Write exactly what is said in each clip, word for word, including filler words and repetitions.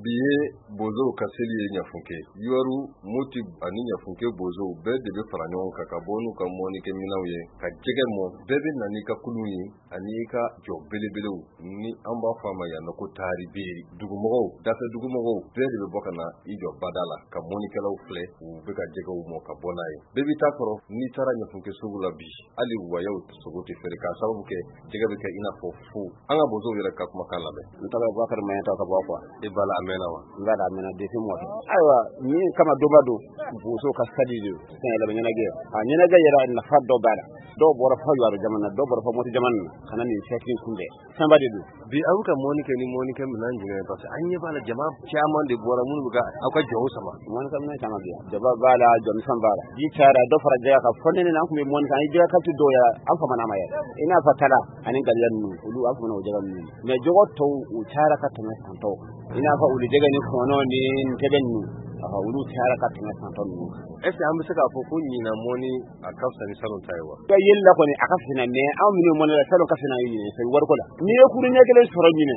Bi ye bozow ka seli ye Ɲafunke. Yuwaru, Moti ani Ɲafunke bozow bɛɛ de bɛ fara ɲɔgɔn kan ka bɔ n'u ka mɔnikɛminɛnw ye ka jɛgɛ mɔ. Bɛɛ bɛ na n'i ka kulun ye ani i ka jɔ belebelew ni an b'a fɔ a ma yan nɔ ko taari beeri. Dugumɔgɔw, dafɛ dugumɔgɔw bɛɛ de bɛ bɔ ka na i jɔ bada la ka mɔnikɛlaw filɛ u bɛ ka jɛgɛw mɔ ka bɔ n'a ye. Bɛɛ b'i ta kɔrɔ. N'i taara Ɲafunke sugu la bi, hali wayaw sogo tɛ feere k'a sababu kɛ jɛgɛ bɛ kɛ i n'a fɔ fu. An ka bozow yɛrɛ ka kumakan lamɛn. N tɔgɔ ye Bubakari Maɲata ka bɔ quoi. E b'a la a mɛnna wa? N b'a la a mɛnna depuis mɔkɛ. Ayiwa, min kama donba don, bozo ka sali de don, yɛlɛma ɲɛnajɛ. A ɲɛnajɛ yɛrɛ nafa dɔ b'a la. Dɔw bɔra fɔ Yuwaru jamana, dɔw bɔra fɔ Mɔti jamana na ka na nin fɛti in kunbɛn. Fɛnba de don. Bi aw bɛ ka mɔni kɛ ni mɔnikɛ minɛn jumɛn ye? Parce que an ɲɛ b'a la jama caman de bɔra minnu bɛ ka aw ka jɔw sama. Mɔnikɛ minɛn caman bɛ yan. Jaba b'a la, jɔmisɛn b'a la. Ji cayara, dɔ fara jɛgɛ kan. Fɔ nɛnɛ an tun bɛ mɔni kɛ, an ye jɛgɛ kalite dɔw yɛrɛ, an famana a ma yɛrɛ. I n'a fɔ tala ani galiya ninnu, olu an famana o jɛgɛ ninnu. Mais jɛgɛ tɔw u cayara ka tɛmɛ san tɔw kan. I n'a fɔ wulu jɛgɛ ni kɔnɔ ni ntɛbɛn ninnu, olu cayara ka tɛmɛ san tɔ ninnu kan. Est ce que an bɛ se k'a fɔ ko ɲinan mɔni a ka fisa ni salon ta ye wa? Ka yeli la kɔni a ka fisa, mais anw minnu mɔni la, salon ka fisa n'an ye ɲinɛ sabu wariko la. N'i ye kurun ɲɛ kelen sɔrɔ ɲinɛ,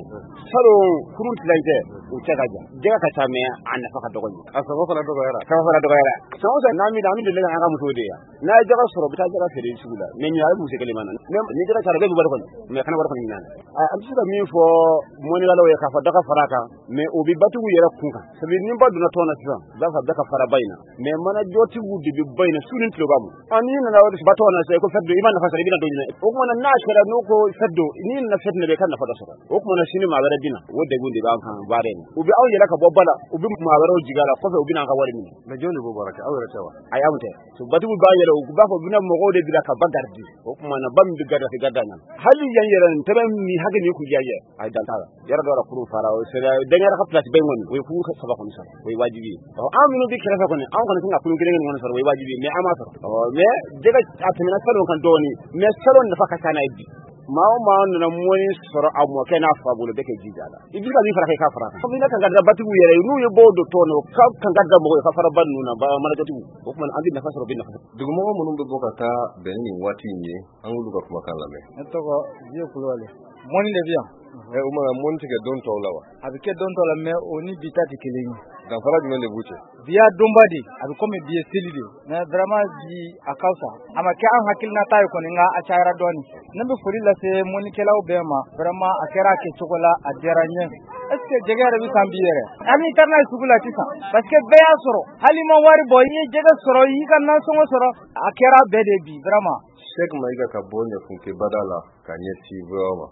salon kurun tilancɛ o cɛ ka jan. Jɛgɛ ka ca, mais a nafa ka dɔgɔ ɲinɛ. A sɔngɔ fana dɔgɔyara. Sɔngɔ fana dɔgɔyara. San o san n'an bɛ an bɛ deli k'an ka musow de yan. N'a ye jɛgɛ sɔrɔ, u bɛ taa jɛgɛ feere sugu la. Mais ɲinɛ a bɛ muso kelen ma na. Ni jɛgɛ cayara, bɛɛ bɛ wari kɔni, mais kana wari kɔni ɲinɛ. An bɛ se ka min fɔ mɔnikɛlaw ye k'a fɔ dɔ ka fara a kan, mais o bɛ batigiw yɛrɛ kun kan. Sabu ni ba donna tɔn na sisan, u b'a fɔ bɛɛ ka fara ba in na. Mais manajɔtigiw de bɛ ba in na su ni tile b'a bɔ. N'i nana ba tɔn na sisan, i ko fɛn don, i ma nafa sɔrɔ, i bɛna don jumɛn? O tuma n'a kɛra n'u ko fɛn don, n'i nana fɛn don, i ka nafa dɔ sɔrɔ. O tuma na sini maa wɛrɛ bɛ na, o degun de b'an kan baara in na. U bɛ aw yɛlɛ ka bɔ ba la, u bɛ maa wɛrɛw jigin a la, kɔfɛ u bɛ n'an ka wari minɛ. Mais jɔn de b'o baara kɛ? Aw yɛrɛ tɛ wa? Ayi, anw tɛ. Batigiw b'a yɛlɛ, u b'a fɔ u bɛna mɔgɔw de bila ka ba garidi. O tuma na ba min bɛ garidi, a tɛ garidi a ɲɛ ma. Hali yan yɛrɛ ntɛbɛn ni hakɛ min kun diya ye, a ye dan t'a la. Yɔrɔ dɔw la kurun fara, o sera dɛngɛrɛ ka place ba in kɔni, o ye kurun saba kɔni sɔrɔ, o ye wajibi ye. Ɔ an minnu bɛ kɛrɛfɛ kɔni, anw kɔni kan ka kurun kelen kelen kɔni sɔrɔ, o ye wajibi ye, mais an m'a sɔrɔ. Ɔ mais jɛgɛ a tɛmɛna salon kan dɔɔnin, mais salon nafa ka ca n'a ye bi. Maa o maa nana mɔni sɔrɔ a mɔkɛ n'a fa bolo, bɛɛ kɛ jija la. I bɛ se ka min fara kan, i k'a fara kan. Komi ne kan ka da batigiw yɛrɛ ye, n'u ye bɔw don tɔn na, u ka kan ka da mɔgɔw ye ka fara ba ninnu na, ba manajɔtigiw. O tuma an bɛ nafa sɔrɔ, bɛ nafa sɔrɔ. Dugumɔgɔ minnu bɛ bɔ ka taa bɛn ni nin waati in ye, an k'olu ka kumakan lamɛn. Ne tɔgɔ Vieux Kulubali. Mɔni de bɛ yan. Ɛ o ma mɔni tɛ kɛ don tɔw la wa? A bɛ kɛ don tɔw la, mais o ni bi ta tɛ kelen ye. Danfara jumɛn de b'u cɛ? Bi y'a donba de, a bɛ komi bi ye seli de. Mais vraiment bi a ka fisa. A ma kɛ an hakilinata ye kɔni, nka a cayara dɔɔnin. Ne bɛ foli lase mɔnikɛlaw bɛɛ ma. Vraiment a kɛra a kɛcogo la, a diyara n ye. Est ce que jɛgɛ yɛrɛ bɛ san bi yɛrɛ? Hali n'i taara n'a ye sugu la sisan, parce que bɛɛ y'a sɔrɔ. Hali i ma wari bɔ, i ye jɛgɛ sɔrɔ, i y'i ka nasɔngɔ sɔrɔ, a kɛra bɛɛ de bi vraiment. Cheikh Maïga ka bɔ Ɲafunke bada la ka ɲɛsin V O A ma.